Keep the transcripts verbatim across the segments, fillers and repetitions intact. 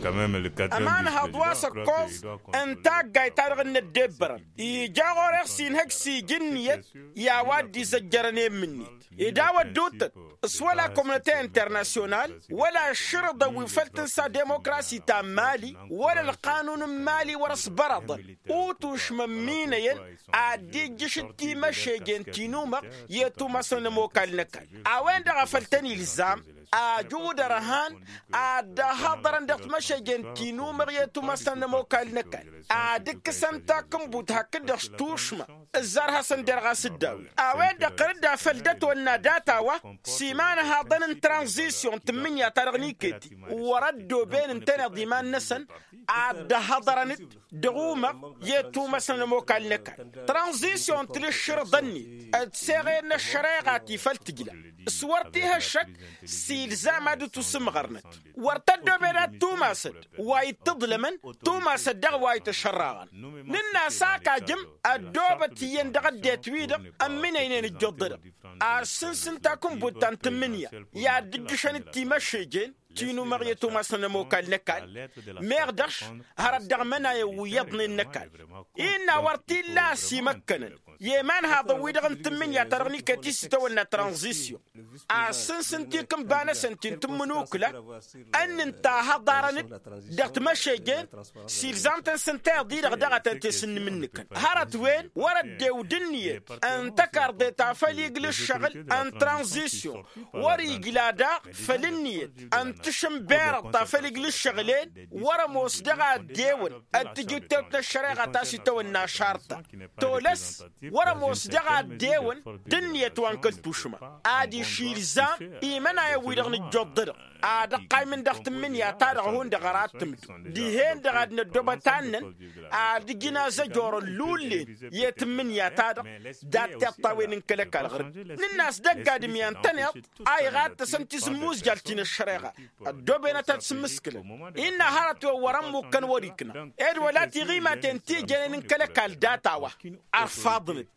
Ămanhăḍ wa s-ăkkoẓ n-taggayt-ta-dăɣ n-ăddebbărăn ija ɣur-e s-inhăj s-ija ǝnniyăt i-a-wa dd-izăjjărăn i-mǝnnit. Ed a-wădduuttăt s-wăla komnăte internasyonal wăla ǝššǝrǝḍăn wi făl tǝnsa demokrasi ta n-mali wăla ălqanun n-mali wăr-ăsbărăḍăn utušmăn minăyăn ad-dd-ijjǝšǝd timăšejen ti număɣ i-atumasăn n-ămokal n-ăkall. A-wen-dăɣ a făl tăn-ilzam ajud ărhan ad-dd-ăhhăḍărăn dăɣ-timăšejen ti număɣ i-atumasăn n-ămokal n-ăkall ad-ǝkkǝsăn takǝnbut hakd-dăɣ s-tušma ǝzzar hasăn-derɣ a-s dd-awǝy. A-wen-dăɣ ɣǝr-dd a făl dd-ătwănna data-wa s-imanhaḍăn n-tranzisyon n-tǝmmǝnǝya-ta-dăɣ n-iket-i wăr-ăddooben ǝntăneḍ iman-năsăn ad-dd-ăhhăḍărăn-dd dăɣ-umăɣ i-tumăsnăn ămokal n-ăkall. Tranzisyon tǝlǝššǝrǝḍăn-net d-seɣen n-ăššăreɣa ti făl tǝjla s-wăr t-ih' ăššăk s-ilzam ad-dd-tusǝmɣărnăt. Wăr tăddobed ad-tumasăd wa ittǝḍlămăn tumasăd dăɣ-wa ităšărraɣăn. Nǝnn'-as ak ajǝm ăddoobăt iyyăn dăɣ-ăddinăt-wi-dăɣ ămminăynen ǝjjuḍ-dăɣ. Ad-sǝnsǝn takǝnbut ta n-tǝmmǝnǝya i-ad-dd-ǝjjǝšăn d-timăšejen ti număɣ i-atumasăn ămokal n-ăkall. Meɣ dăɣ-š hărăt dăɣ-imănayăn wi iyyăḍnen n-ăkall. Innă wăr t-illa a-s imăkkănăn i-imanhaḍăn-wi-dăɣ n-tǝmmǝnǝya-ta-dăɣ n-iket-i s-itawănna tranzisyon ad-sǝnsǝn tikǝnba-năsăn ti n-tǝmmǝnukla. Ănnin-ta hăḍarăn-dd dăɣ-timăšejen s-ilzam-tăn s-ǝnta iḍǝy-dăɣ daɣ a tăn-te-sǝnnǝm-nǝkăn hărăt-wen wăr-ăddew d-ǝnniyăt n-tăkarḍe ta făll-igl' ǝššăɣǝl n-tranzisyon. Wăr-ijla daɣ făll-ǝnniyăt n-tašǝnberăḍt ta făll-igl' ǝššăɣǝl-en wăr-ămoos dăɣ-a ăddewăn d-tijǝttewt n-ăššăreɣa ta s-itawănna ašarta. Tolăs wăr-ămoos dăɣ-a ăddewăn d-ǝnniyăt wa n-kăl-tušma. Adiš ilzam imănayăn-wi-dăɣ nǝjjoḍ-dăɣ ad-ăqqaymǝn dăɣ-tǝmmǝnǝya-ta-dăɣ hundăɣ ărattǝmdǝw dihen-dăɣ ad-năddobăt annăn ad-ǝjǝn azăjor ăllullen i-tǝmmǝnǝya-ta-dăɣ. Dat-tiṭṭawen n-kăl-ăkall ɣur-dd nǝnn'-as dăgg-adǝm i-antăneḍ a iɣattăsăn tizǝmmuzjal ti n-ăššăreɣa ăddooben ad-tăn-sǝmmǝskǝlăn. Innă hărăt-wen wăr-ămmukkăn wăr-ikna ed wăla tiɣimaten ti jănen n-kăl-ăkall data-wa. Ărfaḍnăt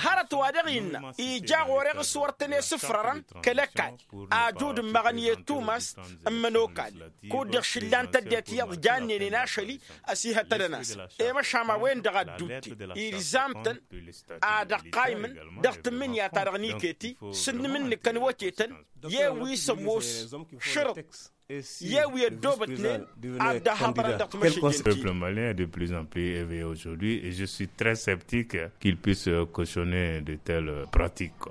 hărăt wa dăɣ-innă ija ɣur-e s-wăr tăn-e-sǝfrărăn kăl-ăkall ajud ǝmmăɣăn i-tumast n-imănokal. Kud-dăɣ šǝllan-t ăddinăt iyyăḍ jannen-en ašăl-i ăsihătădăn-asăn. I-măšan a-wen-dăɣ a dd-utte ilzam-tăn ad-ăqqaymǝn dăɣ-tǝmmǝnǝya-ta-dăɣ n-iket-i s-ǝnnǝm-nǝkăn wătetăn i-wi s-ămoos šărǝḍ i-wi ăddoobătnen ad-dd-ăhhăḍărăn dăɣ-timăšejăn-ti. Peuple malien est de plus en plus éveillé aujourd'hui et je suis très sceptique qu'il puisse cautionner de telles pratiques.